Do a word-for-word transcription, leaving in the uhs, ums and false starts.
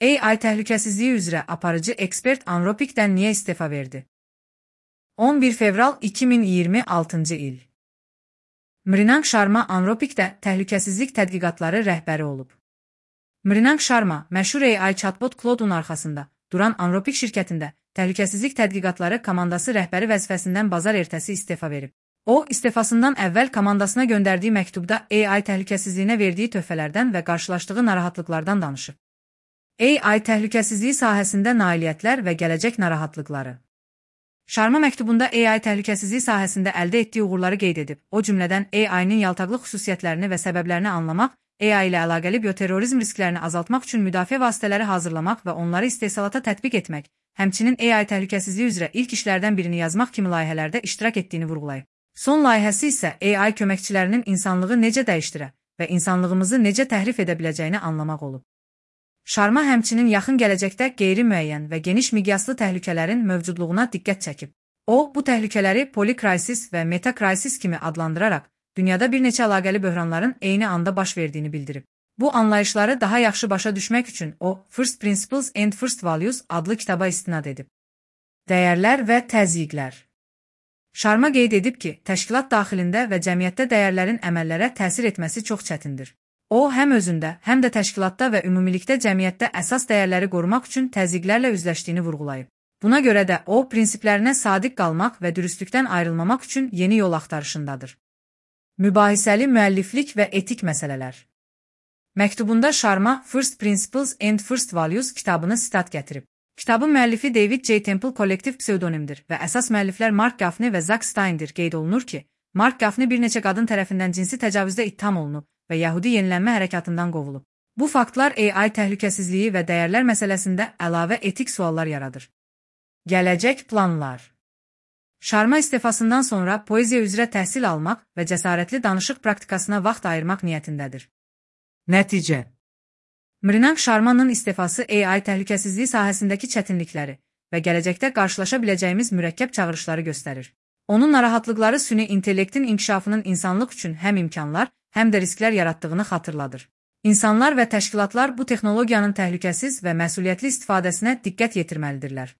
A I təhlükəsizliyi üzrə aparıcı ekspert Anthropic'dən niyə istefa verdi? on bir fevral iki min iyirmi altıncı il. Mrinang Sharma Anthropic'də təhlükəsizlik tədqiqatları rəhbəri olub. Mrinang Sharma, məşhur A I chatbot Claude'un arxasında duran Anthropic şirkətində təhlükəsizlik tədqiqatları komandası rəhbəri vəzifəsindən bazar ertəsi istefa verib. O, istefasından əvvəl komandasına göndərdiyi məktubda A I təhlükəsizliyinə verdiyi töhfələrdən və qarşılaşdığı narahatlıqlardan danışıb. A I təhlükəsizliyi sahəsində nailiyyətlər və gələcək narahatlıqları. Sharma məktubunda A I təhlükəsizliyi sahəsində əldə etdiyi uğurları qeyd edib, o cümlədən A I-nin yaltaqlıq xüsusiyyətlərini və səbəblərini anlamaq, A I ilə əlaqəli bioterrorizm risklərini azaltmaq üçün müdafiə vasitələri hazırlamaq və onları istehsalata tətbiq etmək, həmçinin A I təhlükəsizliyi üzrə ilk işlərdən birini yazmaq kimi layihələrdə iştirak etdiyini vurğulayıb. Son layihəsi isə A I köməkçilərinin insanlığı necə dəyişdirə və insanlığımızı necə təhrif edə biləcəyini anlamaq olub. Sharma həmçinin yaxın gələcəkdə qeyri-müəyyən və geniş miqyaslı təhlükələrin mövcudluğuna diqqət çəkib. O, bu təhlükələri polikrisis və metakrisis kimi adlandıraraq, dünyada bir neçə əlaqəli böhranların eyni anda baş verdiyini bildirib. Bu anlayışları daha yaxşı başa düşmək üçün o, First Principles and First Values adlı kitaba istinad edib. Dəyərlər və təzyiqlər. Sharma qeyd edib ki, təşkilat daxilində və cəmiyyətdə dəyərlərin əməllərə təsir etməsi çox çətindir. O, həm özündə, həm də təşkilatda və ümumilikdə cəmiyyətdə əsas dəyərləri qorumaq üçün təzyiqlərlə üzləşdiyini vurğulayıb. Buna görə də o, prinsiplərinə sadiq qalmaq və dürüstlükdən ayrılmamaq üçün yeni yol axtarışındadır. Mübahisəli müəlliflik və etik məsələlər. Məktubunda Sharma First Principles and First Values kitabını sitat gətirib. Kitabın müəllifi David J. Temple kollektiv pseudonimdir və əsas müəlliflər Mark Gaffney və Zack Steindir. Qeyd olunur ki, Mark Gaffney bir neçə qadın tərəfindən cinsi təcavüzdə ittiham olunub və Yahudi yenilənmə hərəkatından qovulub. Bu faktlar A I təhlükəsizliyi və dəyərlər məsələsində əlavə etik suallar yaradır. Gələcək planlar. Sharma istefasından sonra poeziya üzrə təhsil almaq və cəsarətli danışıq praktikasına vaxt ayırmaq niyyətindədir. Nəticə. Mrinang Sharma'nın istefası A I təhlükəsizliyi sahəsindəki çətinlikləri və gələcəkdə qarşılaşa biləcəyimiz mürəkkəb çağırışları göstərir. Onun narahatlıqları süni intellektin inkişafının insanlıq üçün həm imkanlar, həm də risklər yaratdığını xatırladır. İnsanlar və təşkilatlar bu texnologiyanın təhlükəsiz və məsuliyyətli istifadəsinə diqqət yetirməlidirlər.